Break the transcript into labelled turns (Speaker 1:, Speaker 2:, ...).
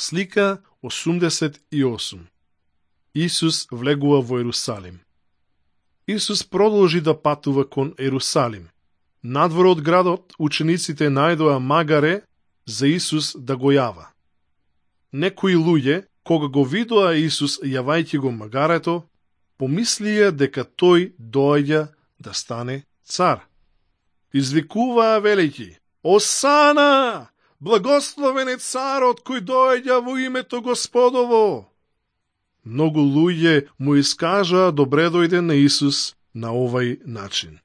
Speaker 1: Слика 88. Исус влегува во Ерусалим. Исус продолжи да патува кон Ерусалим. Надвор од градот, учениците најдоа магаре за Исус да го јава. Некои луѓе, кога го видоа Исус јавајќи го магарето, помислија дека тој доаѓа да стане цар. Извикуваа велејќи: Осана! Благословен е царот кој доаѓа во името Господово! Многу луѓе му искажаа добре дојде на Исус на овај начин.